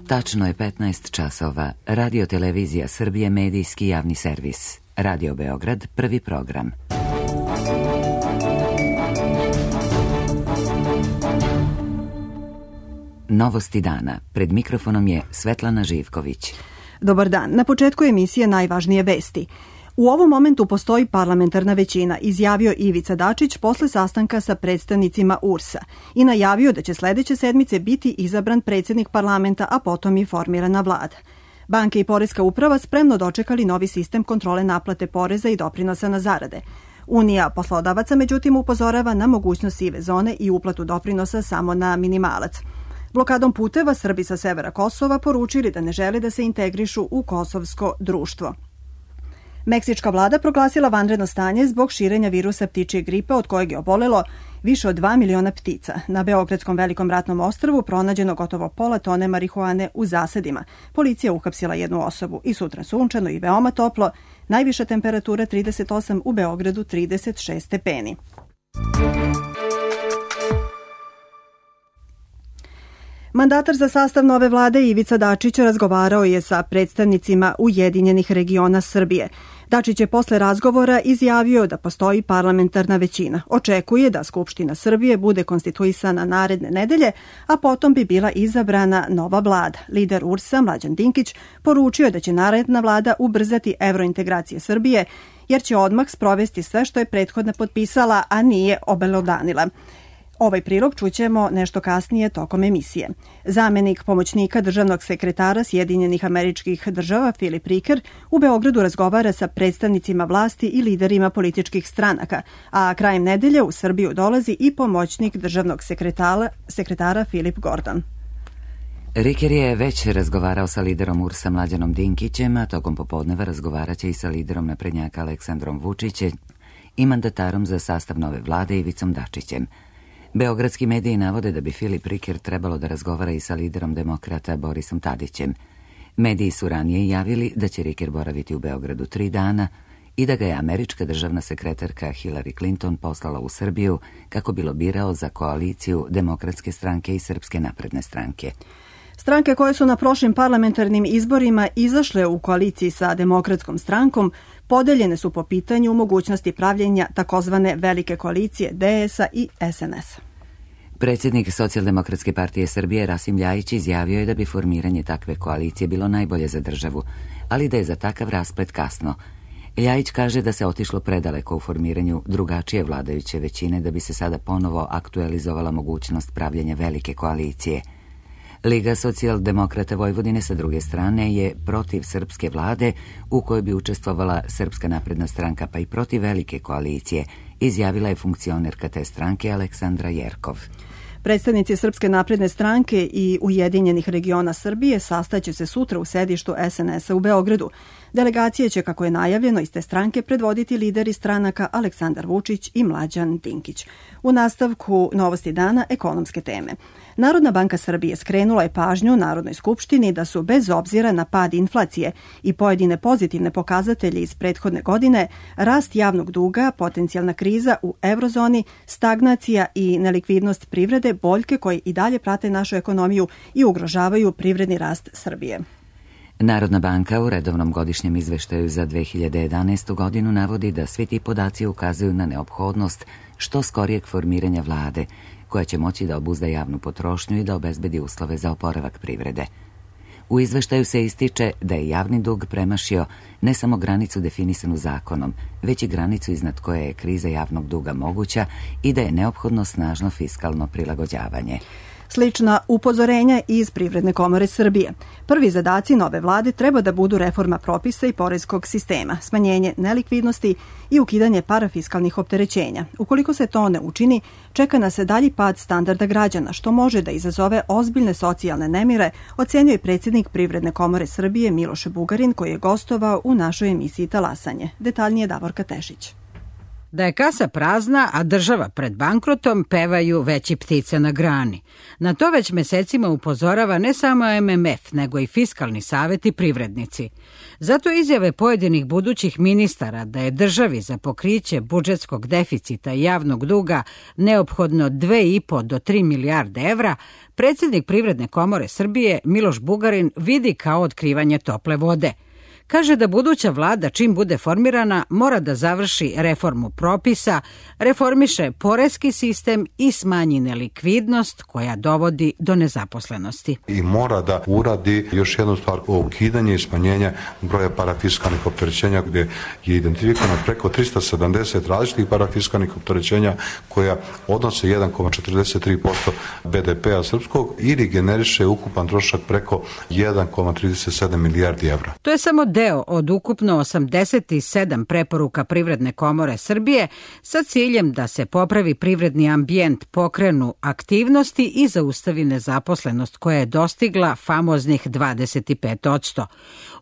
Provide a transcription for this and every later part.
Tačno je 15 časova. Radio Televizija Srbije, medijski javni servis. Radio Beograd, prvi program. Novosti dana. Pred mikrofonom je Svetlana Živković. Dobar dan. Na početku emisije najvažnije vesti. U ovom momentu postoji parlamentarna većina, izjavio Ivica Dačić posle sastanka sa predstavnicima URS-a i najavio da će sledeće sedmice biti izabran predsjednik parlamenta, a potom i formirana vlada. Banke i poreska uprava spremno dočekali novi sistem kontrole naplate poreza i doprinosa na zarade. Unija poslodavaca međutim upozorava na mogućnost sive zone i uplatu doprinosa samo na minimalac. Blokadom puteva Srbi sa severa Kosova poručili da ne žele da se integrišu u kosovsko društvo. Meksička vlada proglasila vanredno stanje zbog širenja virusa ptičije gripe od kojeg je obolelo više od 2 miliona ptica. Na Beogradskom velikom ratnom ostrvu pronađeno gotovo pola tone marihuane u zasadima. Policija uhapsila jednu osobu i sutra sunčano i veoma toplo. Najviša temperatura 38, u Beogradu 36 stepeni. Mandatar za sastav nove vlade Ivica Dačić razgovarao je sa predstavnicima Ujedinjenih regiona Srbije. Dačić je posle razgovora izjavio da postoji parlamentarna većina. Očekuje da Skupština Srbije bude konstituisana naredne nedelje, a potom bi bila izabrana nova vlada. Lider URS-a Mlađan Dinkić poručio da će naredna vlada ubrzati evrointegracije Srbije, jer će odmah sprovesti sve što je prethodna potpisala, a nije obelodanila. Ovaj prilog čućemo nešto kasnije tokom emisije. Zamenik pomoćnika državnog sekretara Sjedinjenih Američkih Država Filip Riker u Beogradu razgovara sa predstavnicima vlasti i liderima političkih stranaka, a krajem nedelje u Srbiju dolazi i pomoćnik državnog sekretara Filip Gordon. Riker je već razgovarao sa liderom URS-a Mlađanom Dinkićem, a tokom popodneva razgovaraće i sa liderom naprednjaka Aleksandrom Vučićem i mandatarom za sastav nove vlade Ivicom Dačićem. Beogradski mediji navode da bi Filip Riker trebalo da razgovara i sa liderom demokrata Borisom Tadićem. Mediji su ranije javili da će Riker boraviti u Beogradu 3 dana i da ga je američka državna sekretarka Hillary Clinton poslala u Srbiju kako bi lobirao za koaliciju Demokratske stranke i Srpske napredne stranke. Stranke koje su na prošlim parlamentarnim izborima izašle u koaliciji sa Demokratskom strankom podeljene su po pitanju mogućnosti pravljenja takozvane velike koalicije DS-a i SNS-a. Predsjednik Socijaldemokratske partije Srbije Rasim Ljajić izjavio je da bi formiranje takve koalicije bilo najbolje za državu, ali da je za takav rasplet kasno. Ljajić kaže da se otišlo predaleko u formiranju drugačije vladajuće većine da bi se sada ponovo aktualizovala mogućnost pravljenja velike koalicije. Liga socijaldemokrata Vojvodine sa druge strane je protiv srpske vlade u kojoj bi učestvovala Srpska napredna stranka, pa i protiv velike koalicije, izjavila je funkcionerka te stranke Aleksandra Jerkov. Predstavnici Srpske napredne stranke i Ujedinjenih regiona Srbije sastaće se sutra u sedištu SNS-a u Beogradu. Delegacije će, kako je najavljeno, iz te stranke predvoditi lideri stranaka Aleksandar Vučić i Mlađan Dinkić. U nastavku Novosti dana ekonomske teme. Narodna banka Srbije skrenula je pažnju Narodnoj skupštini da su bez obzira na pad inflacije i pojedine pozitivne pokazatelje iz prethodne godine, rast javnog duga, potencijalna kriza u eurozoni, stagnacija i nelikvidnost privrede boljke koje i dalje prate našu ekonomiju i ugrožavaju privredni rast Srbije. Narodna banka u redovnom godišnjem izveštaju za 2011. godinu navodi da svi ti podaci ukazuju na neophodnost što skorijeg formiranja vlade, koja će moći da obuzda javnu potrošnju i da obezbedi uslove za oporavak privrede. U izveštaju se ističe da je javni dug premašio ne samo granicu definisanu zakonom, već i granicu iznad koje je kriza javnog duga moguća i da je neophodno snažno fiskalno prilagođavanje. Slična upozorenja iz Privredne komore Srbije. Prvi zadaci nove vlade treba da budu reforma propisa i poreskog sistema, smanjenje nelikvidnosti i ukidanje parafiskalnih opterećenja. Ukoliko se to ne učini, čeka nas dalji pad standarda građana, što može da izazove ozbiljne socijalne nemire, ocenjuje predsjednik Privredne komore Srbije Miloš Bugarin, koji je gostovao u našoj emisiji Talasanje. Detaljnije Davorka Tešić. Da je kasa prazna, a država pred bankrotom, pevaju veći ptice na grani. Na to već mesecima upozorava ne samo MMF, nego i Fiskalni savet i privrednici. Zato izjave pojedinih budućih ministara da je državi za pokriće budžetskog deficita i javnog duga neophodno 2,5 do 3 milijarde evra, predsjednik Privredne komore Srbije Miloš Bugarin vidi kao otkrivanje tople vode. Kaže da buduća vlada, čim bude formirana, mora da završi reformu propisa, reformiše poreski sistem i smanji nelikvidnost koja dovodi do nezaposlenosti. I mora da uradi još jednu stvar, ukidanje i smanjenje broja parafiskalnih opterećenja, gdje je identifikovano preko 370 različitih parafiskalnih opterećenja koja odnose 1,43% BDP-a srpskog ili generiše ukupan trošak preko 1,37 milijardi evra. To je samo deo od ukupno 87 preporuka Privredne komore Srbije sa ciljem da se popravi privredni ambijent, pokrenu aktivnosti i zaustavi nezaposlenost koja je dostigla famoznih 25%.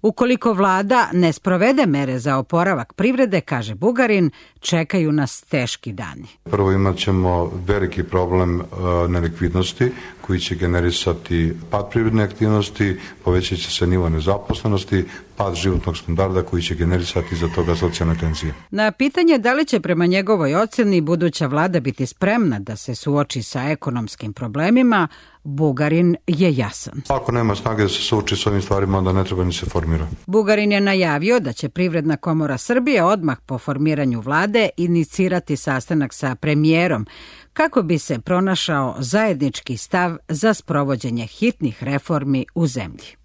Ukoliko vlada ne sprovede mere za oporavak privrede, kaže Bugarin, čekaju nas teški dani. Prvo imat ćemo veliki problem nelikvidnosti koji će generisati pad privredne aktivnosti, povećat će se nivo nezaposlenosti, pad životnog standarda koji će generisati za toga socijalne tenzije. Na pitanje da li će prema njegovoj ocjeni buduća vlada biti spremna da se suoči sa ekonomskim problemima, Bugarin je jasan. Ako nema snage da se suoči s ovim stvarima, onda ne treba ni se formira. Bugarin je najavio da će Privredna komora Srbije odmah po formiranju vlade inicirati sastanak sa premijerom kako bi se pronašao zajednički stav za sprovođenje hitnih reformi u zemlji.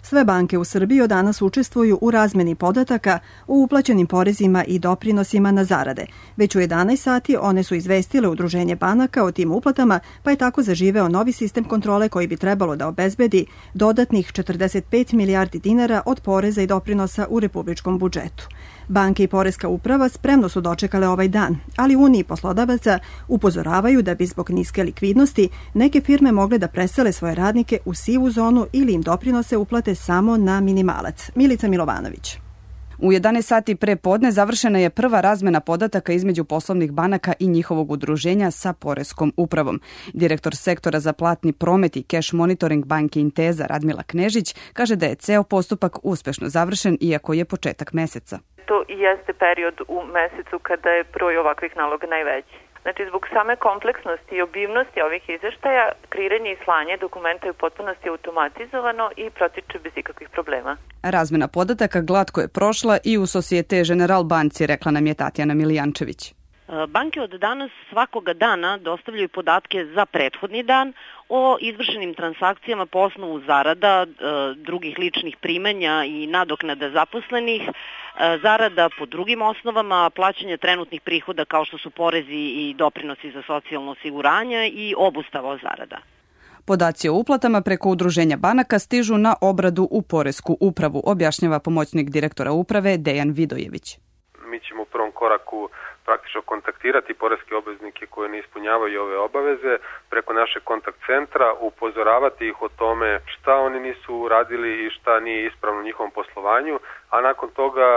Sve banke u Srbiji od danas učestvuju u razmeni podataka o uplaćenim porezima i doprinosima na zarade. Već u 11 sati one su izvestile Udruženje banaka o tim uplatama, pa je tako zaživeo novi sistem kontrole koji bi trebalo da obezbedi dodatnih 45 milijardi dinara od poreza i doprinosa u republičkom budžetu. Banke i poreska uprava spremno su dočekale ovaj dan, ali Uniji poslodavaca upozoravaju da bi zbog niske likvidnosti neke firme mogle da presele svoje radnike u sivu zonu ili im doprinose uplate samo na minimalac. Milica Milovanović. U 11 sati pre podne završena je prva razmena podataka između poslovnih banaka i njihovog udruženja sa poreskom upravom. Direktor sektora za platni promet i cash monitoring banke Inteza Radmila Knežić kaže da je ceo postupak uspešno završen iako je početak meseca. To i jeste period u mesecu kada je broj ovakvih naloga najveći. Znači, zbog same kompleksnosti i obimnosti ovih izveštaja, kreiranje i slanje dokumenta je u potpunosti automatizovano i protiče bez ikakvih problema. Razmena podataka glatko je prošla i u Societe General banci, rekla nam je Tatjana Milijančević. Banke od danas svakoga dana dostavljaju podatke za prethodni dan o izvršenim transakcijama po osnovu zarada, drugih ličnih primanja i nadoknada zaposlenih, zarada po drugim osnovama, plaćanja trenutnih prihoda kao što su porezi i doprinosi za socijalno osiguranje i obustava zarada. Podaci o uplatama preko udruženja banaka stižu na obradu u poresku upravu, objašnjava pomoćnik direktora uprave Dejan Vidojević. Mi ćemo u prvom koraku praktično kontaktirati poreske obveznike koje ne ispunjavaju ove obaveze preko našeg kontakt centra, upozoravati ih o tome šta oni nisu uradili i šta nije ispravno u njihovom poslovanju, a nakon toga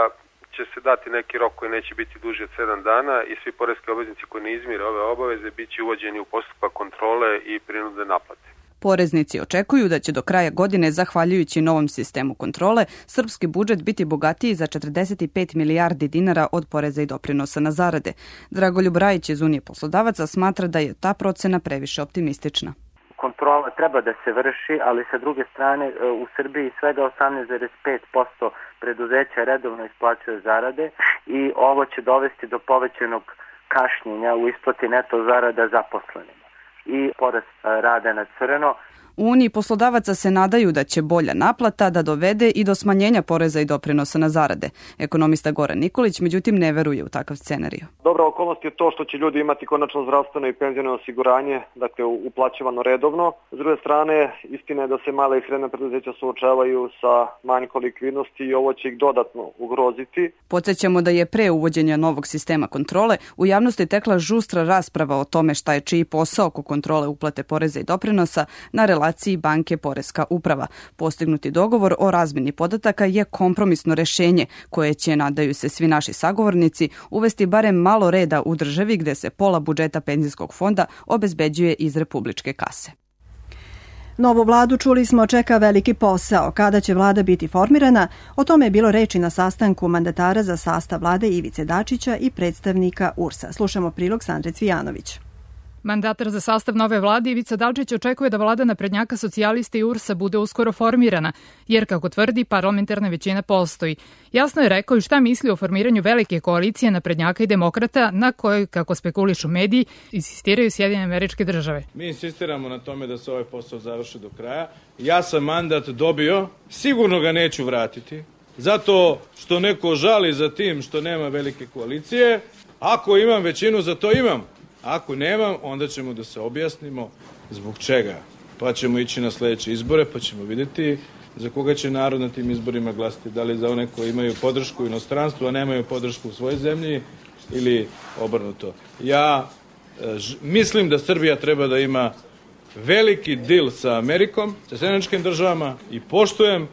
će se dati neki rok koji neće biti duži od 7 dana i svi poreski obveznici koji ne izmire ove obaveze bit će uvođeni u postupak kontrole i prinudne naplate. Poreznici očekuju da će do kraja godine, zahvaljujući novom sistemu kontrole, srpski budžet biti bogatiji za 45 milijardi dinara od poreza i doprinosa na zarade. Dragoljub Rajić iz Unije poslodavaca smatra da je ta procena previše optimistična. Kontrola treba da se vrši, ali sa druge strane u Srbiji svega 18,5% preduzeća redovno isplaćuje zarade i ovo će dovesti do povećanog kašnjenja u isplati neto zarada zaposlenima i porast rada na crno. U Uniji poslodavaca se nadaju da će bolja naplata da dovede i do smanjenja poreza i doprinosa na zarade. Ekonomista Goran Nikolić međutim ne veruje u takav scenarij. Dobra okolnost je to što će ljudi imati konačno zdravstveno i penziono osiguranje, dakle uplaćivano redovno. S druge strane, istina je da se male i srednje preduzeća suočavaju sa manjkom likvidnosti i ovo će ih dodatno ugroziti. Podsjećamo da je pre uvođenja novog sistema kontrole u javnosti tekla žustra rasprava o tome šta je čiji posao oko kontrole uplate poreza i doprinosa na relaciji regulaciji banke Poreska uprava. Postignuti dogovor o razmjeni podataka je kompromisno rešenje koje će, nadaju se svi naši sagovornici, uvesti barem malo reda u državi gde se pola budžeta penzijskog fonda obezbeđuje iz republičke kase. Novu vladu, čuli smo, čeka veliki posao. Kada će vlada biti formirana? O tome je bilo reči na sastanku mandatara za sastav vlade Ivice Dačića i predstavnika URS-a. Slušamo prilog Sandre Cvijanović. Mandatar za sastav nove vlade Ivica Dačić očekuje da vlada naprednjaka, socijalista i URS-a bude uskoro formirana, jer, kako tvrdi, parlamentarna većina postoji. Jasno je rekao i šta misli o formiranju velike koalicije naprednjaka i demokrata, na kojoj, kako spekulišu mediji, insistiraju Sjedinjene Američke Države. Mi insistiramo na tome da se ovaj posao završi do kraja. Ja sam mandat dobio, sigurno ga neću vratiti, zato što neko žali za tim što nema velike koalicije. Ako imam većinu, za to imam. Ako nemam, onda ćemo da se objasnimo zbog čega. Pa ćemo ići na sledeće izbore, pa ćemo vidjeti za koga će narod na tim izborima glasiti. Da li za one koji imaju podršku u inostranstvu, a nemaju podršku u svojoj zemlji, ili obrnuto. Ja mislim da Srbija treba da ima veliki dil sa Amerikom, sa Sjedinjenim Državama, i poštujem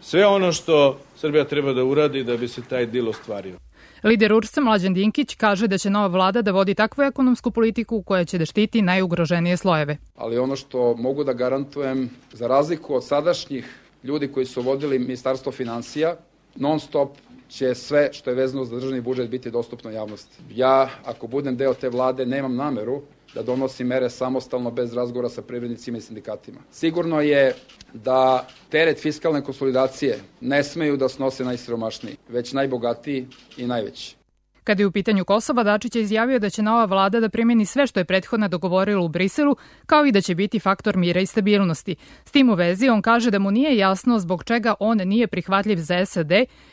sve ono što Srbija treba da uradi da bi se taj dil ostvario. Lider URS-a Mlađan Dinkić kaže da će nova vlada da vodi takvu ekonomsku politiku koja će da štiti najugroženije slojeve. Ali ono što mogu da garantujem, za razliku od sadašnjih ljudi koji su vodili Ministarstvo finansija, non stop će sve što je vezano za državni budžet biti dostupno javnosti. Ja, ako budem deo te vlade, nemam nameru da donosi mere samostalno bez razgovora sa privrednicima i sindikatima. Sigurno je da teret fiskalne konsolidacije ne smeju da snose najsiromašniji, već najbogatiji i najveći. Kada je u pitanju Kosova, Dačić je izjavio da će nova vlada da primjeni sve što je prethodna dogovorila u Briselu, kao i da će biti faktor mira i stabilnosti. S tim u vezi, on kaže da mu nije jasno zbog čega on nije prihvatljiv za SAD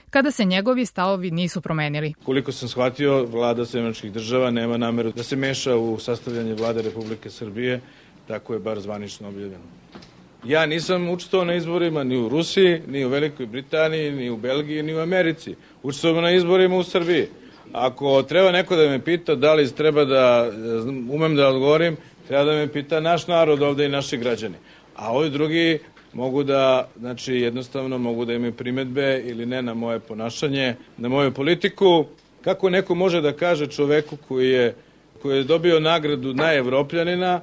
kada se njegovi stavovi nisu promenili. Koliko sam shvatio, vlada Sjedinjenih Država nema nameru da se meša u sastavljanje vlade Republike Srbije, tako je bar zvanično objavljeno. Ja nisam učestvovao na izborima ni u Rusiji, ni u Velikoj Britaniji, ni u Belgiji, ni u Americi. Učestvovao na izborima u Srbiji. Ako treba neko da me pita da li treba da umem da odgovorim, treba da me pita naš narod ovde i naši građani. A ovi drugi mogu da, znači jednostavno mogu da imaju primedbe ili ne na moje ponašanje, na moju politiku. Kako neko može da kaže čoveku koji je dobio nagradu najevropljanina,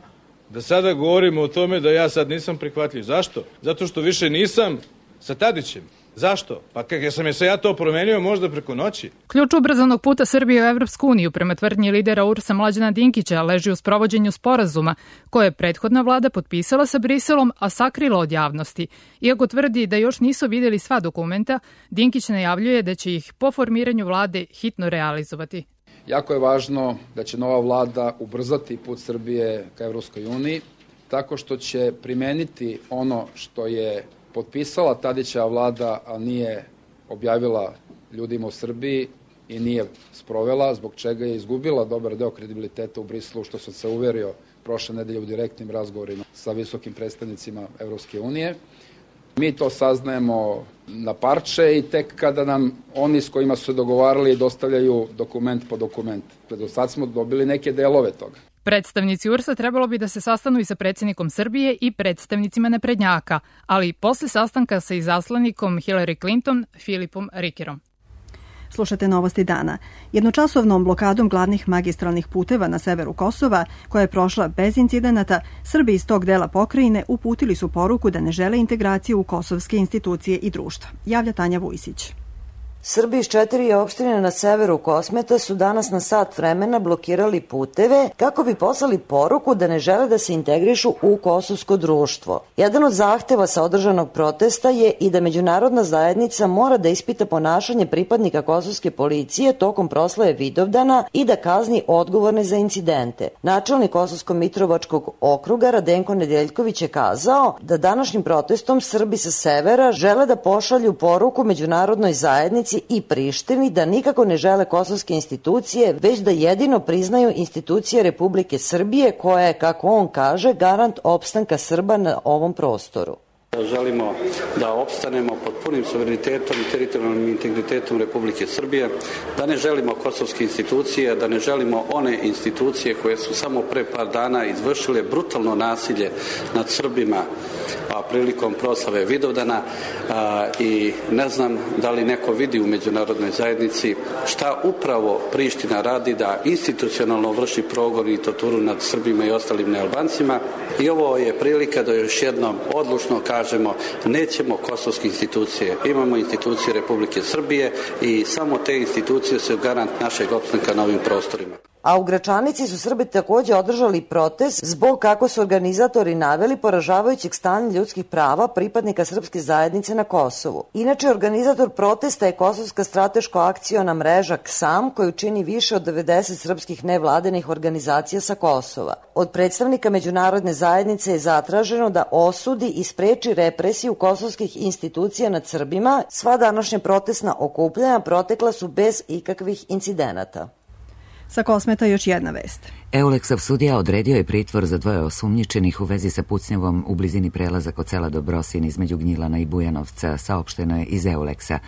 da sada govorimo o tome da ja sad nisam prihvatljiv. Zašto? Zato što više nisam sa Tadićem. Zašto? Pa kako sam ja to promenio možda preko noći? Ključ ubrzanog puta Srbije u Evropsku uniju, prema tvrdnji lidera URS-a Mlađana Dinkića, leži u sprovođenju sporazuma koje je prethodna vlada potpisala sa Briselom, a sakrila od javnosti. Iako tvrdi da još nisu videli sva dokumenta, Dinkić najavljuje da će ih po formiranju vlade hitno realizovati. Jako je važno da će nova vlada ubrzati put Srbije ka Evropskoj uniji, tako što će primeniti ono što je potpisala Tadićeva vlada, a nije objavila ljudima u Srbiji i nije sprovela, zbog čega je izgubila dobar deo kredibiliteta u Briselu, što sam se uverio prošle nedelje u direktnim razgovorima sa visokim predstavnicima Evropske unije. Mi to saznajemo na parče i tek kada nam oni s kojima su se dogovarali dostavljaju dokument po dokument. Do sad smo dobili neke delove toga. Predstavnici URS-a trebalo bi da se sastanu i sa predsjednikom Srbije i predstavnicima naprednjaka, ali posle sastanka sa izaslanikom Hillary Clinton, Filipom Rikerom. Slušate Novosti dana. Jednočasovnom blokadom glavnih magistralnih puteva na severu Kosova, koja je prošla bez incidenata, Srbi iz tog dela pokrajine uputili su poruku da ne žele integraciju u kosovske institucije i društva. Javlja Tanja Vujsić. Srbi iz 4 opštine na severu Kosmeta su danas na sat vremena blokirali puteve kako bi poslali poruku da ne žele da se integrišu u kosovsko društvo. Jedan od zahteva sa održanog protesta je i da međunarodna zajednica mora da ispita ponašanje pripadnika kosovske policije tokom proslave Vidovdana i da kazni odgovorne za incidente. Načelnik Kosovsko-Mitrovačkog okruga Radenko Nedeljković je kazao da današnjim protestom Srbi sa severa žele da pošalju poruku međunarodnoj zajednici i Prištini da nikako ne žele kosovske institucije, već da jedino priznaju institucije Republike Srbije koja je, kako on kaže, garant opstanka Srba na ovom prostoru. Želimo da opstanemo pod punim suverenitetom i teritorijalnim integritetom Republike Srbije, da ne želimo kosovske institucije, da ne želimo one institucije koje su samo pre par dana izvršile brutalno nasilje nad Srbima prilikom proslave Vidovdana i ne znam da li neko vidi u međunarodnoj zajednici šta upravo Priština radi da institucionalno vrši progon i torturu nad Srbima i ostalim nealbancima i ovo je prilika da još jednom odlučno kažemo nećemo kosovske institucije, imamo institucije Republike Srbije i samo te institucije su garant našeg opstanka na ovim prostorima. A u Gračanici su Srbi takođe održali protest zbog, kako su organizatori naveli, poražavajućeg stanja ljudskih prava pripadnika srpske zajednice na Kosovu. Inače, organizator protesta je Kosovska strateško-akciona mreža KSAM, koju čini više od 90 srpskih nevladenih organizacija sa Kosova. Od predstavnika međunarodne zajednice je zatraženo da osudi i spreči represiju kosovskih institucija nad Srbima. Sva današnja protestna okupljanja protekla su bez ikakvih incidenata. Sa Kosmeta još jedna vest. Euleksov sudija odredio je pritvor za 2 osumnjičenih u vezi sa pucnjavom u blizini prelaza kod sela Dobrosin između Gnjilana i Bujanovca, saopšteno je iz Euleksa.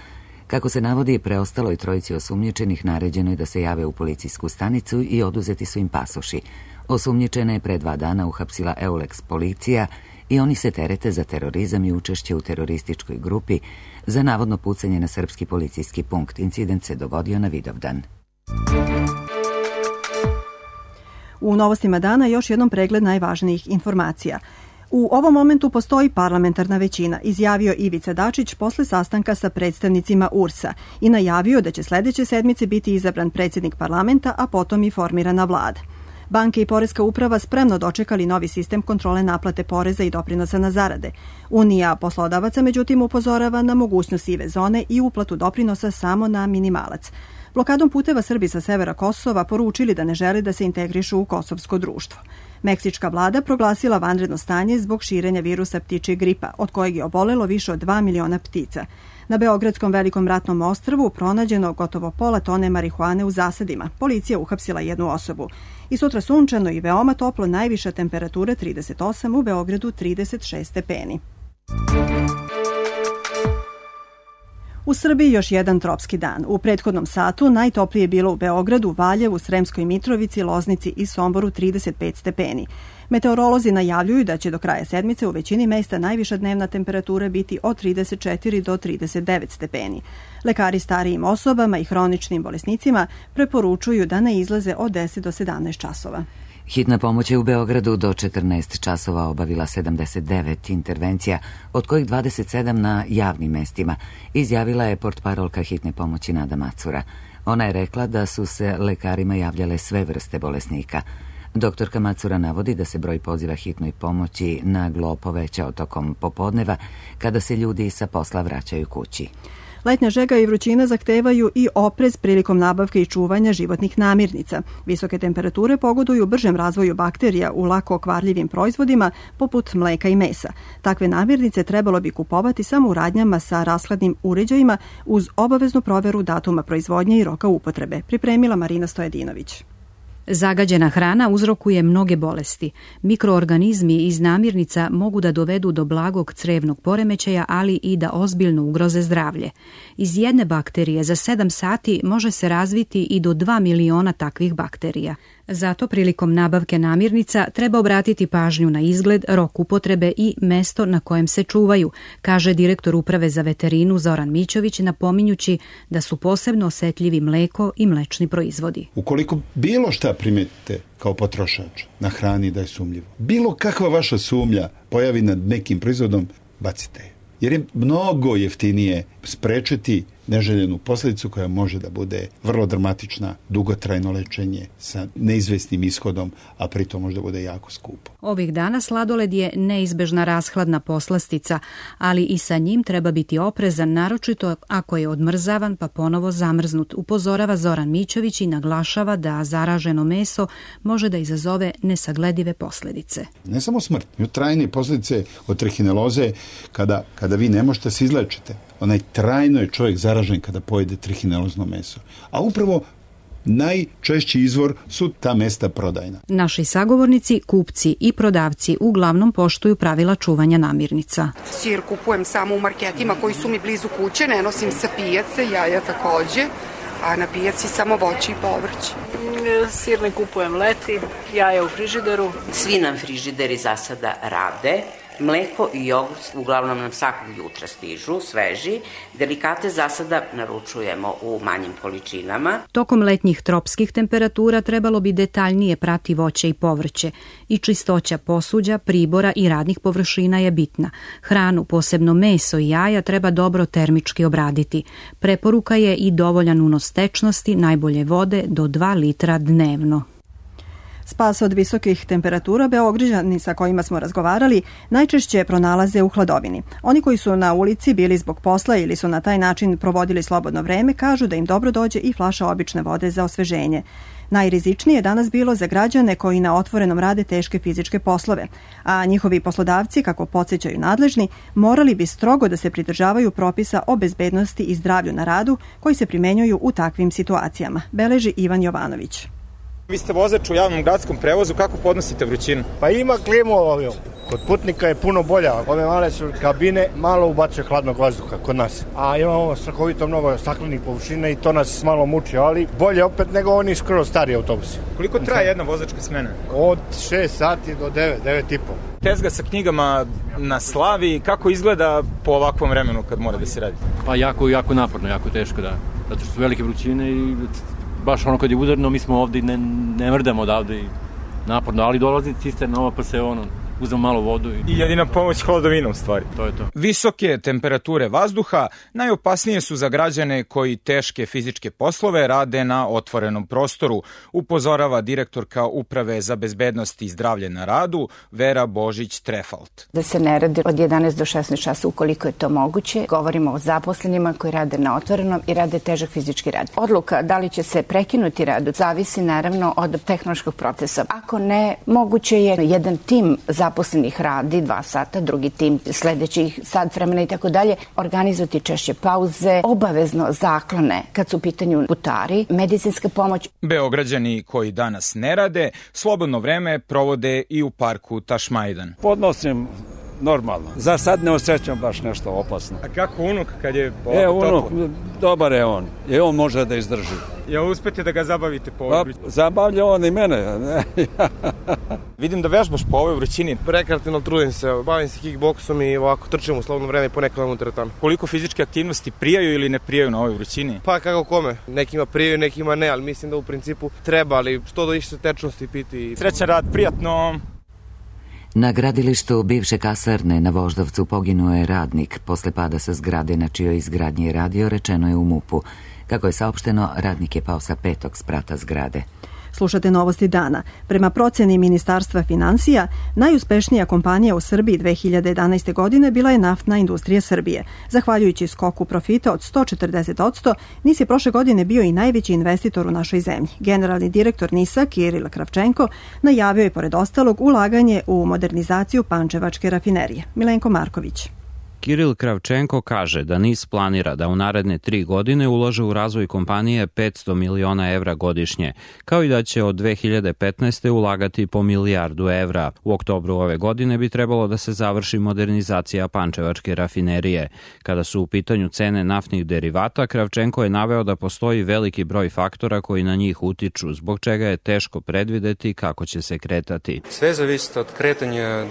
Kako se navodi, preostaloj 3 osumnjičenih naređeno je da se jave u policijsku stanicu i oduzeti su im pasoši. Osumnjičene je pre 2 dana uhapsila Euleks policija i oni se terete za terorizam i učešće u terorističkoj grupi za navodno pucanje na srpski policijski punkt. Incident se dogodio na Vidovdan. U novostima dana još jednom pregled najvažnijih informacija. U ovom momentu postoji parlamentarna većina, izjavio Ivica Dačić posle sastanka sa predstavnicima URS-a i najavio da će sledeće sedmice biti izabran predsjednik parlamenta, a potom i formirana vlada. Banke i Poreska uprava spremno dočekali novi sistem kontrole naplate poreza i doprinosa na zarade. Unija poslodavaca, međutim, upozorava na mogućnost sive zone i uplatu doprinosa samo na minimalac. Blokadom puteva Srbi sa severa Kosova poručili da ne žele da se integrišu u kosovsko društvo. Meksička vlada proglasila vanredno stanje zbog širenja virusa ptičjeg gripa, od kojeg je obolelo više od 2 miliona ptica. Na Beogradskom velikom ratnom ostrvu pronađeno gotovo pola tone marihuane u zasadima. Policija uhapsila 1 osobu. I sutra sunčano i veoma toplo, najviša temperatura 38, u Beogradu 36 stepeni. U Srbiji još jedan tropski dan. U prethodnom satu najtoplije je bilo u Beogradu, Valjevu, Sremskoj Mitrovici, Loznici i Somboru 35 stepeni. Meteorolozi najavljuju da će do kraja sedmice u većini mesta najviša dnevna temperatura biti od 34 do 39 stepeni. Lekari starijim osobama i hroničnim bolesnicima preporučuju da ne izlaze od 10 do 17 časova. Hitna pomoć je u Beogradu do 14 časova obavila 79 intervencija, od kojih 27 na javnim mestima, izjavila je portparolka hitne pomoći Nada Macura. Ona je rekla da su se lekarima javljale sve vrste bolesnika. Doktorka Macura navodi da se broj poziva hitnoj pomoći naglo povećao tokom popodneva kada se ljudi sa posla vraćaju kući. Letnja žega i vrućina zahtevaju i oprez prilikom nabavke i čuvanja životnih namirnica. Visoke temperature pogoduju bržem razvoju bakterija u lako okvarljivim proizvodima poput mleka i mesa. Takve namirnice trebalo bi kupovati samo u radnjama sa rashladnim uređajima uz obaveznu proveru datuma proizvodnje i roka upotrebe, pripremila Marina Stojadinović. Zagađena hrana uzrokuje mnoge bolesti. Mikroorganizmi iz namirnica mogu da dovedu do blagog crevnog poremećaja, ali i da ozbiljno ugroze zdravlje. Iz jedne bakterije za 7 sati može se razviti i do 2 miliona takvih bakterija. Zato prilikom nabavke namirnica treba obratiti pažnju na izgled, rok upotrebe i mesto na kojem se čuvaju, kaže direktor Uprave za veterinu Zoran Mićović, napominjući da su posebno osetljivi mleko i mlečni proizvodi. Ukoliko bilo šta primetite kao potrošač na hrani da je sumnjivo, bilo kakva vaša sumnja pojavi nad nekim proizvodom, bacite je. Jer je mnogo jeftinije sprečiti neželjenu posljedicu koja može da bude vrlo dramatična, dugotrajno lečenje sa neizvesnim ishodom, a pritom može da bude jako skupo. Ovih dana sladoled je neizbežna rashladna poslastica, ali i sa njim treba biti oprezan, naročito ako je odmrzavan pa ponovo zamrznut, upozorava Zoran Mićović i naglašava da zaraženo meso može da izazove nesagledive posljedice. Ne samo smrt, trajne posljedice od trihineloze kada vi ne možete se izlečite. Onaj trajno je čovjek zaražen kada pojede trihinelozno meso. A upravo najčešći izvor su ta mesta prodajna. Naši sagovornici, kupci i prodavci uglavnom poštuju pravila čuvanja namirnica. Sir kupujem samo u marketima koji su mi blizu kuće, ne nosim sa pijace, jaja takođe, a na pijaci samo voće i povrće. Sir ne kupujem leti, jaja u frižideru. Svi nam frižideri za sada rade. Mleko i jogurt uglavnom nam svakog jutra stižu, sveži. Delikate za sada naručujemo u manjim količinama. Tokom letnjih tropskih temperatura trebalo bi detaljnije prati voće i povrće. I čistoća posuđa, pribora i radnih površina je bitna. Hranu, posebno meso i jaja, treba dobro termički obraditi. Preporuka je i dovoljan unos tečnosti, najbolje vode do 2 litra dnevno. Spas od visokih temperatura Beograđani sa kojima smo razgovarali najčešće pronalaze u hladovini. Oni koji su na ulici bili zbog posla ili su na taj način provodili slobodno vreme kažu da im dobro dođe i flaša obične vode za osveženje. Najrizičnije je danas bilo za građane koji na otvorenom rade teške fizičke poslove, a njihovi poslodavci, kako podsjećaju nadležni, morali bi strogo da se pridržavaju propisa o bezbednosti i zdravlju na radu koji se primenjuju u takvim situacijama, beleži Ivan Jovanović. Vi ste vozač u javnom gradskom prevozu, kako podnosite vrućinu? Pa ima klimu ovdje. Kod putnika je puno bolja. Ove male su kabine, malo ubacuje hladnog vazduha kod nas. A imamo strahovito mnogo staklenih površina i to nas malo muči, ali bolje opet nego oni skoro stari autobusi. Koliko traje jedna vozačka smena? Od 6 sati do 9,5. Tezga sa knjigama na slavi, kako izgleda po ovakvom vremenu kad mora da se radi? Pa jako naporno, jako teško, da. Zato što su velike vrućine i baš ono kad je udarno, mi smo ovde i ne mrdamo odavde i naporno, ali dolazi cisterna nova pa se uzmemo malo vodu. I jedina pomoć hladovina u stvari. To je to. Visoke temperature vazduha najopasnije su za građane koji teške fizičke poslove rade na otvorenom prostoru, upozorava direktorka Uprave za bezbednost i zdravlje na radu Vera Božić-Trefalt. Da se ne radi od 11 do 16 časa ukoliko je to moguće. Govorimo o zaposlenima koji rade na otvorenom i rade težak fizički rad. Odluka da li će se prekinuti rad zavisi naravno od tehnološkog procesa. Ako ne, moguće je jedan tim zaposlenih radi 2 sata, drugi tim sledećih sat vremena i tako dalje, organizovati češće pauze, obavezno zaklone kad su u pitanju putari, medicinska pomoć. Beograđani koji danas ne rade, slobodno vreme provode i u parku Tašmajdan. Podnosim normalno. Za sad ne osjećam baš nešto opasno. A kako unuk kad je ovako toplo? Unuk, dobar je on. I on može da izdrži. Jel uspete da ga zabavite po ovoj vrućini? Zabavlja on i mene. Vidim da vežbaš po ovoj vrućini. Rekreativno trudim se, bavim se kickboksom i ovako trčim u slobodno vreme i ponekad u teretanu. Koliko fizičke aktivnosti prijaju ili ne prijaju na ovoj vrućini? Pa kako kome. Nekima prijaju, nekima ne, ali mislim da u principu treba, ali što da više tečnosti piti. Srećan rad, prijatno. Na gradilištu bivše kasarne na Voždovcu poginuo je radnik. Posle pada sa zgrade na čijoj izgradnji je radio, rečeno je u MUP-u. Kako je saopšteno, radnik je pao sa 5. sprata zgrade. Slušate Novosti dana. Prema proceni Ministarstva finansija, najuspešnija kompanija u Srbiji 2011. godine bila je Naftna industrija Srbije. Zahvaljujući skoku profita od 140%, NIS je prošle godine bio i najveći investitor u našoj zemlji. Generalni direktor NIS-a, Kiril Kravčenko, najavio je pored ostalog ulaganje u modernizaciju pančevačke rafinerije. Milenko Marković. Kiril Kravčenko kaže da NIS planira da u naredne 3 godine ulaže u razvoj kompanije 500 miliona evra godišnje, kao i da će od 2015. ulagati po milijardu evra. U oktobru ove godine bi trebalo da se završi modernizacija pančevačke rafinerije. Kada su u pitanju cene naftnih derivata, Kravčenko je naveo da postoji veliki broj faktora koji na njih utiču, zbog čega je teško predvideti kako će se kretati. Sve zavisi od kretanja 2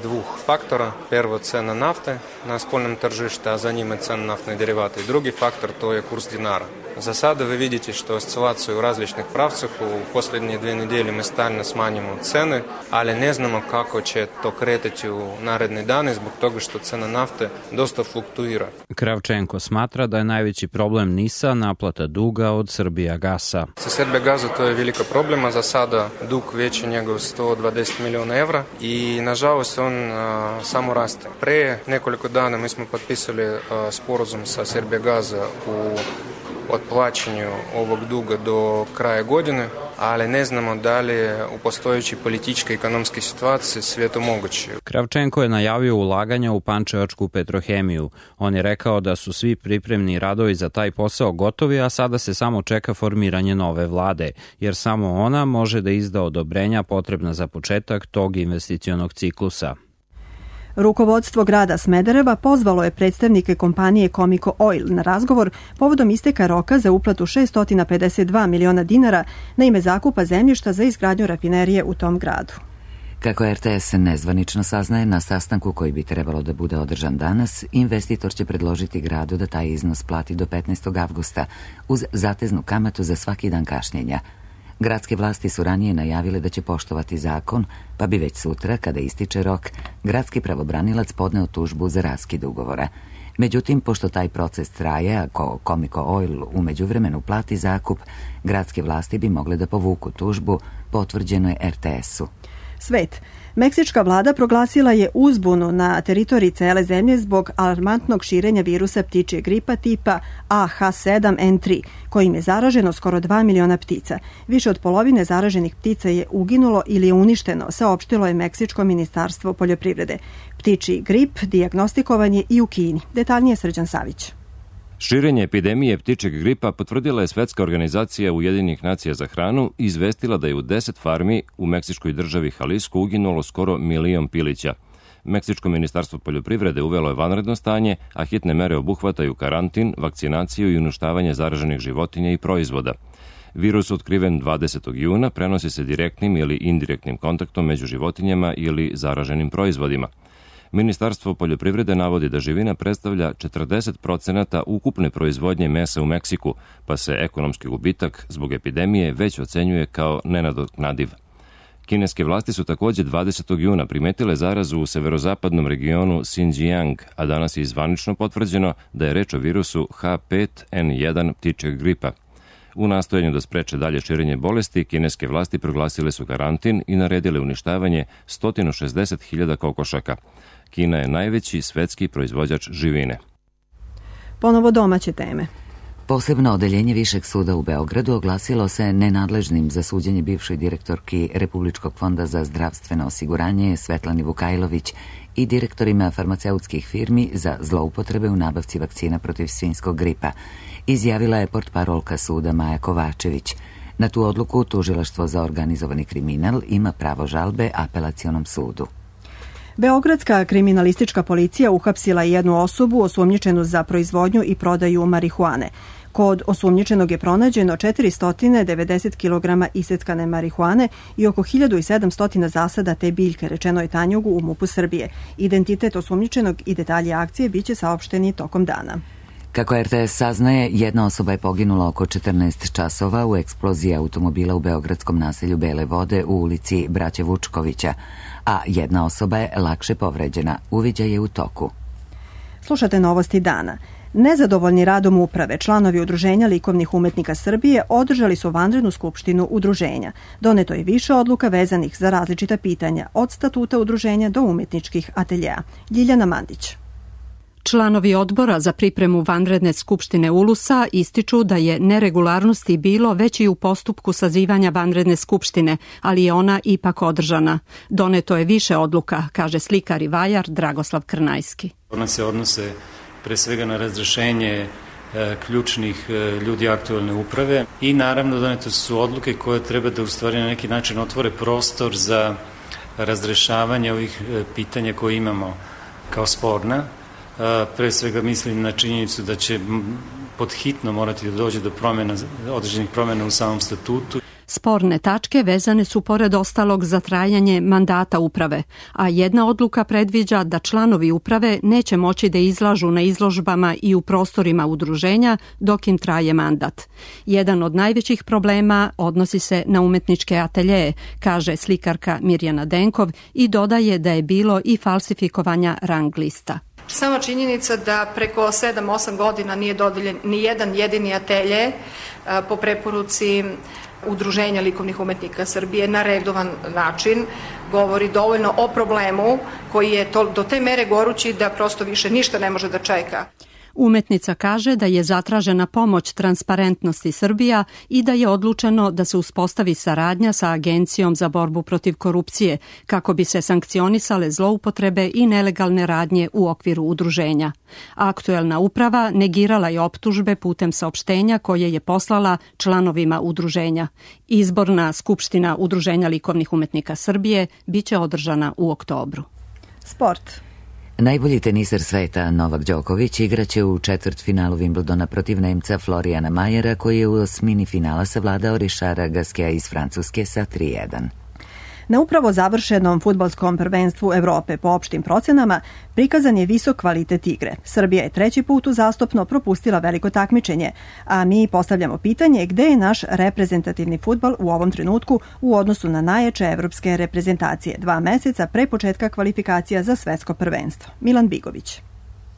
faktora. Prvo cena nafte na spoljnom tržište, a za njima cena naftnih derivata. I drugi faktor to je kurs dinara. Za sada vi vidite što oscilacije u različnih pravcах. U posljednje 2 nedelje mi stalno smanjimo cene, ali ne znamo kako će to kretati u naredne dane zbog toga što cena nafte dosta fluktuira. Kravčenko smatra da je najveći problem NIS-a naplata duga od Srbijagasa. Sa Srbijagaza to je velika problema. Za sada dug veći nego 120 miliona evra i nažalost on samo raste. Pre nekoliko dana mi smo potpisali sporazum sa Srbijagaza u otplaćanju ovog duga do kraja godine, ali ne znamo da li je u postojećoj političkoj i ekonomskoj situaciji sve to moguće. Kravčenko je najavio ulaganja u pančevačku petrohemiju. On je rekao da su svi pripremni radovi za taj posao gotovi, a sada se samo čeka formiranje nove vlade, jer samo ona može da izda odobrenja potrebna za početak tog investicionog ciklusa. Rukovodstvo grada Smedereva pozvalo je predstavnike kompanije Comico Oil na razgovor povodom isteka roka za uplatu 652 miliona dinara na ime zakupa zemljišta za izgradnju rafinerije u tom gradu. Kako RTS nezvanično saznaje, na sastanku koji bi trebalo da bude održan danas, investitor će predložiti gradu da taj iznos plati do 15. avgusta uz zateznu kamatu za svaki dan kašnjenja. Gradske vlasti su ranije najavile da će poštovati zakon, pa bi već sutra, kada ističe rok, gradski pravobranilac podneo tužbu za raskid ugovora. Međutim, pošto taj proces traje, ako Comico Oil u međuvremenu plati zakup, gradske vlasti bi mogle da povuku tužbu, potvrđeno je RTS-u. Svet. Meksička vlada proglasila je uzbunu na teritoriji cele zemlje zbog alarmantnog širenja virusa ptičje gripa tipa AH7N3, kojim je zaraženo skoro 2 miliona ptica. Više od polovine zaraženih ptica je uginulo ili je uništeno, saopštilo je Meksičko ministarstvo poljoprivrede. Ptičji grip dijagnostikovan je i u Kini. Detaljnije Srđan Savić. Širenje epidemije ptičjeg gripa potvrdila je Svetska organizacija Ujedinjenih nacija za hranu i izvestila da je u 10 farmi u meksičkoj državi Jalisco uginulo skoro 1 milion pilića. Meksičko ministarstvo poljoprivrede uvelo je vanredno stanje, a hitne mere obuhvataju karantin, vakcinaciju i uništavanje zaraženih životinja i proizvoda. Virus otkriven 20. juna prenosi se direktnim ili indirektnim kontaktom među životinjama ili zaraženim proizvodima. Ministarstvo poljoprivrede navodi da živina predstavlja 40% ukupne proizvodnje mesa u Meksiku, pa se ekonomski gubitak zbog epidemije već ocenjuje kao nenadoknadiv. Kineske vlasti su takođe 20. juna primetile zarazu u severozapadnom regionu Xinjiang, a danas je zvanično potvrđeno da je reč o virusu H5N1 ptičjeg gripa. U nastojanju da spreče dalje širenje bolesti, kineske vlasti proglasile su karantin i naredile uništavanje 160.000 kokošaka. Kina je najveći svetski proizvođač živine. Ponovo domaće teme. Posebno odeljenje Višeg suda u Beogradu oglasilo se nenadležnim za suđenje bivšoj direktorki Republičkog fonda za zdravstveno osiguranje Svetlani Vukajlović i direktorima farmaceutskih firmi za zloupotrebe u nabavci vakcina protiv svinjskog gripa, izjavila je portparolka suda Maja Kovačević. Na tu odluku Tužilaštvo za organizovani kriminal ima pravo žalbe Apelacionom sudu. Beogradska kriminalistička policija uhapsila jednu osobu osumnjičenu za proizvodnju i prodaju marihuane. Kod osumnjičenog je pronađeno 490 kg iseckane marihuane i oko 1700 zasada te biljke, rečeno je Tanjugu u MUP-u Srbije. Identitet osumnjičenog i detalji akcije biće saopšteni tokom dana. Kako RTS saznaje, jedna osoba je poginula oko 14 časova u eksploziji automobila u beogradskom naselju Bele Vode u ulici Braće Vučkovića, a jedna osoba je lakše povređena. Uviđaj je u toku. Slušate novosti dana. Nezadovoljni radom uprave, članovi Udruženja likovnih umetnika Srbije održali su vanrednu skupštinu udruženja. Doneto je više odluka vezanih za različita pitanja, od statuta udruženja do umetničkih ateljeja. Ljiljana Mandić. Članovi odbora za pripremu vanredne skupštine ULUS-a ističu da je neregularnosti bilo već i u postupku sazivanja vanredne skupštine, ali je ona ipak održana. Doneto je više odluka, kaže slikar i vajar Dragoslav Krnajski. Ona se odnose pre svega na razrešenje ključnih ljudi aktualne uprave i naravno donete su odluke koje treba da u stvari na neki način otvore prostor za razrešavanje ovih pitanja koje imamo kao sporna. Pre svega mislim na činjenicu da će podhitno morati da dođe do određenih promjena u samom statutu. Sporne tačke vezane su pored ostalog za trajanje mandata uprave, a jedna odluka predviđa da članovi uprave neće moći da izlažu na izložbama i u prostorima udruženja dok im traje mandat. Jedan od najvećih problema odnosi se na umetničke ateljeje, kaže slikarka Mirjana Denkov i dodaje da je bilo i falsifikovanja rang lista. Sama činjenica da preko 7-8 godina nije dodeljen ni jedan jedini atelje po preporuci Udruženja likovnih umetnika Srbije na redovan način govori dovoljno o problemu koji je do te mere gorući da prosto više ništa ne može da čeka. Umetnica kaže da je zatražena pomoć Transparentnosti Srbija i da je odlučeno da se uspostavi saradnja sa Agencijom za borbu protiv korupcije kako bi se sankcionisale zloupotrebe i nelegalne radnje u okviru udruženja. Aktuelna uprava negirala je optužbe putem saopštenja koje je poslala članovima udruženja. Izborna skupština Udruženja likovnih umetnika Srbije biće održana u oktobru. Sport. Najbolji teniser sveta Novak Đoković igraće u četvrtfinalu Wimbledona protiv Nemca Florijana Majera, koji je u osmini finala savladao Richarda Gasqueta iz Francuske sa 3:1. Na upravo završenom fudbalskom prvenstvu Evrope po opštim procenama prikazan je visok kvalitet igre. Srbija je 3. put uzastopno propustila veliko takmičenje, a mi postavljamo pitanje gde je naš reprezentativni fudbal u ovom trenutku u odnosu na najjače evropske reprezentacije 2 meseca pre početka kvalifikacija za svetsko prvenstvo. Milan Bigović.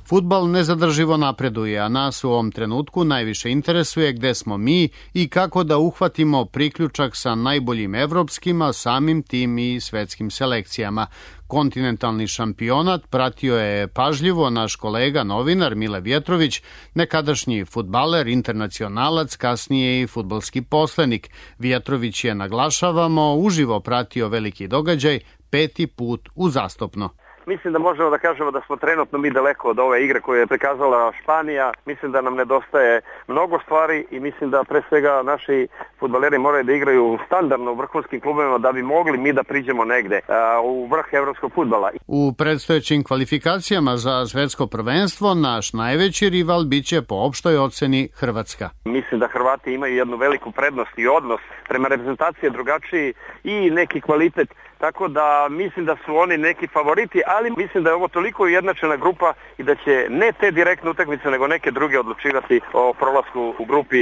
Fudbal nezadrživo napreduje, a nas u ovom trenutku najviše interesuje gde smo mi i kako da uhvatimo priključak sa najboljim evropskim, a samim tim i svetskim selekcijama. Kontinentalni šampionat pratio je pažljivo naš kolega novinar Mile Vjetrović, nekadašnji fudbaler, internacionalac, kasnije i fudbalski poslenik. Vjetrović je, naglašavamo, uživo pratio veliki događaj 5. put uzastopno. Mislim da možemo da kažemo da smo trenutno mi daleko od ove igre koju je prikazala Španija. Mislim da nam nedostaje mnogo stvari i mislim da pre svega naši fudbaleri moraju da igraju standardno u vrhunskim klubovima da bi mogli mi da priđemo negde u vrh evropskog fudbala. U predstojećim kvalifikacijama za svetsko prvenstvo naš najveći rival biće po opštoj oceni Hrvatska. Mislim da Hrvati imaju jednu veliku prednost i odnos prema reprezentaciji drugačiji i neki kvalitet. Tako da mislim da su oni neki favoriti, ali mislim da je ovo toliko ujednačena grupa i da će ne te direktne utakmice, nego neke druge odlučivati o prolasku u grupi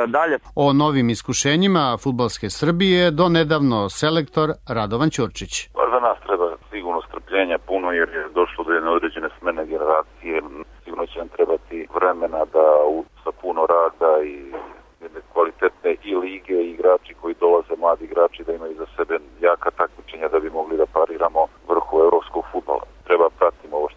dalje. O novim iskušenjima fudbalske Srbije do nedavno selektor Radovan Ćurčić. Za nas treba sigurno strpljenja puno jer je došlo do jedne određene smene generacije. Sigurno će nam trebati vremena da sa puno rada i jedne kvalitetne i lige i igrači koji dolaze, mladi igrači, da imaju za sebe jaka takmičenja da bi mogli da pariramo vrhu evropskog fudbala. Treba pratiti ovo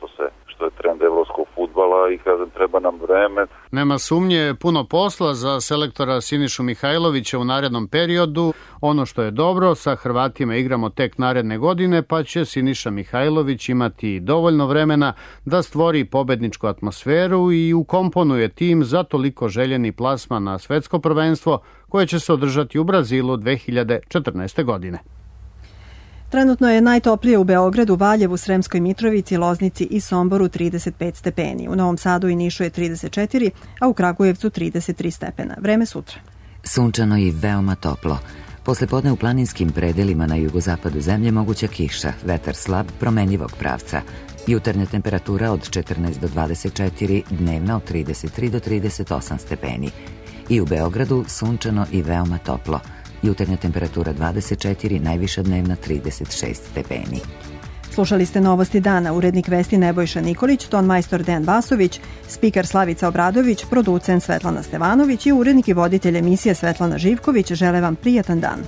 što je trend evropskog fudbala i kažem treba nam vreme. Nema sumnje, puno posla za selektora Sinišu Mihajlovića u narednom periodu. Ono što je dobro, sa Hrvatima igramo tek naredne godine, pa će Siniša Mihajlović imati dovoljno vremena da stvori pobedničku atmosferu i ukomponuje tim za toliko željeni plasman na svetsko prvenstvo koje će se održati u Brazilu 2014. godine. Trenutno je najtoplije u Beogradu, Valjevu, Sremskoj Mitrovici, Loznici i Somboru 35 stepeni. U Novom Sadu i Nišu je 34, a u Kragujevcu 33 stepena. Vreme sutra. Sunčano i veoma toplo. Poslepodne u planinskim predelima na jugozapadu zemlje moguća kiša, vetar slab, promenljivog pravca. Jutarnja temperatura od 14 do 24, dnevna od 33 do 38 stepeni. I u Beogradu sunčano i veoma toplo. Jutarnja temperatura 24, najviša dnevna 36 stepeni. Slušali ste Novosti dana, urednik vesti Nebojša Nikolić, tonmajstor Dejan Vasović, spiker Slavica Obradović, producent Svetlana Stevanović i urednik i voditelj emisije Svetlana Živković. Žele vam prijatan dan.